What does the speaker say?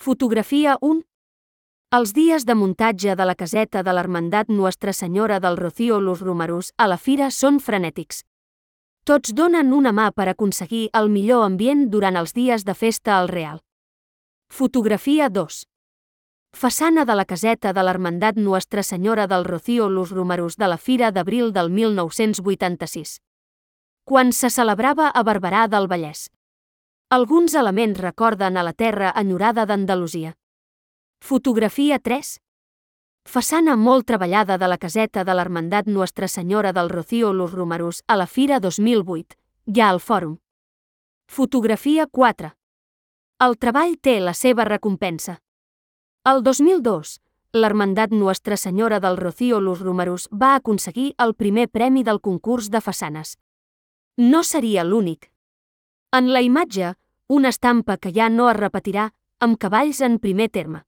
Fotografia 1. Els dies de muntatge de la caseta de l'Hermandat Nuestra Senyora del Rocío Los Romerus a la fira són frenètics. Tots donen una mà per aconseguir el millor ambient durant els dies de festa al Real. Fotografia 2. Façana de la caseta de l'Hermandat Nuestra Senyora del Rocío Los Romerus de la Fira d'Abril del 1986. Quan se celebrava a Barberà del Vallès. Alguns elements recorden a la terra enyorada d'Andalusia. Fotografia 3. Façana molt treballada de la caseta de l'Hermandat Nuestra Senyora del Rocío Los Romerus a la Fira 2008, ja al Fòrum. Fotografia 4. El treball té la seva recompensa. El 2002, l'Hermandat Nuestra Senyora del Rocío Los Romerus va aconseguir el primer premi del concurs de façanes. No seria l'únic. En la imatge, una estampa que ja no es repetirà, amb cavalls en primer terme.